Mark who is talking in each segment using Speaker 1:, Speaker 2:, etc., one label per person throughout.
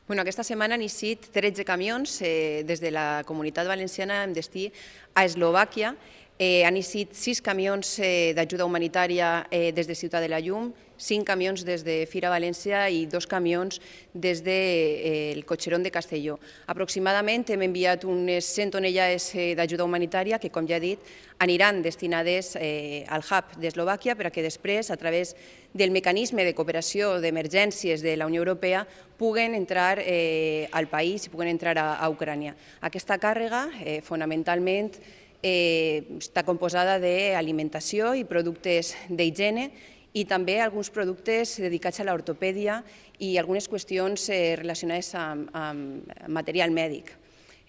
Speaker 1: Aquesta setmana han eixit 13 camions des de la Comunitat Valenciana amb destí a Eslovàquia. Han eixit 6 camions d'ajuda humanitària des de Ciutat de la Llum, 5 camions des de Fira València i 2 camions des del Cotxerón de Castelló. Aproximadament hem enviat unes 100 tonellades d'ajuda humanitària que, com ja he dit, aniran destinades al hub d'Eslovàquia perquè després, a través del mecanisme de cooperació d'emergències de la Unió Europea, puguen entrar al país i puguen entrar a Ucrània. Aquesta càrrega, fonamentalment, està composada d'alimentació i productes d'higiene i també alguns productes dedicats a l'ortopèdia i algunes qüestions relacionades amb material mèdic.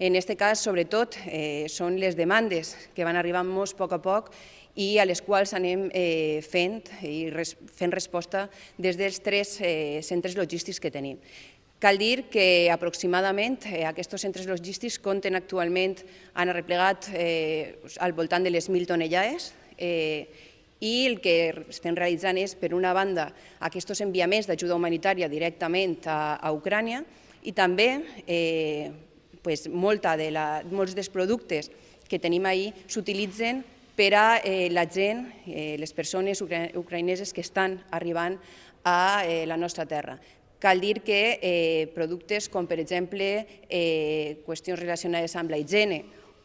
Speaker 1: En aquest cas, sobretot, són les demandes que van arribant-nos a poc i a les quals anem fent resposta des dels 3 centres logístics que tenim. Cal dir que aproximadament aquests centres logístics compten actualment, han arreplegat al voltant de les 1.000 tonellades i el que estem realitzant és, per una banda, aquests enviaments d'ajuda humanitària directament a Ucrània i també molts dels productes que tenim ahir s'utilitzen per a la gent, les persones ucraïneses que estan arribant a la nostra terra. Cal dir que productes com, per exemple, qüestions relacionades amb la higiene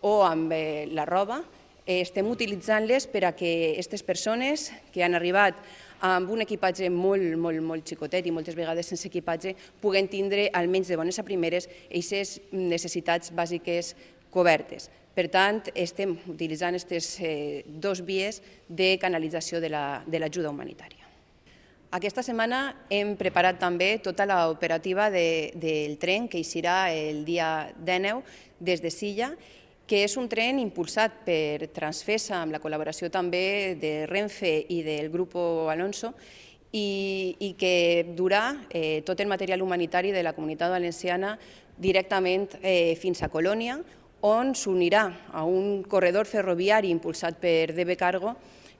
Speaker 1: o amb la roba, estem utilitzant-les per a que aquestes persones que han arribat amb un equipatge molt xicotet i moltes vegades sense equipatge puguen tindre, almenys de bones a primeres, aquestes necessitats bàsiques cobertes. Per tant, estem utilitzant aquestes 2 vies de canalització de l'ajuda humanitària. Aquesta setmana hem preparat també tota l'operativa del tren que eixirà el dia 19 des de Silla, que és un tren impulsat per Transfesa amb la col·laboració també de Renfe i del Grupo Alonso i que durà tot el material humanitari de la Comunitat Valenciana directament fins a Colònia, on s'unirà a un corredor ferroviari impulsat per DB Cargo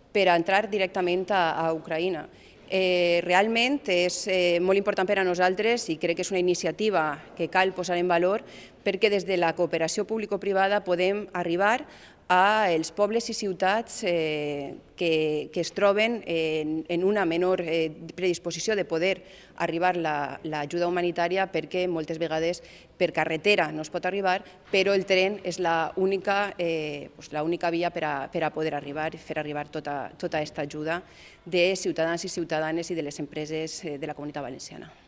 Speaker 1: per entrar directament a Ucraïna. Realment és molt important per a nosaltres i crec que és una iniciativa que cal posar en valor perquè des de la cooperació público-privada podem arribar als pobles i ciutats que es troben en una menor predisposició de poder arribar l'ajuda humanitària perquè moltes vegades per carretera no es pot arribar, però el tren és l'única via per a poder arribar i fer arribar tota aquesta ajuda de ciutadans i ciutadanes i de les empreses de la Comunitat Valenciana.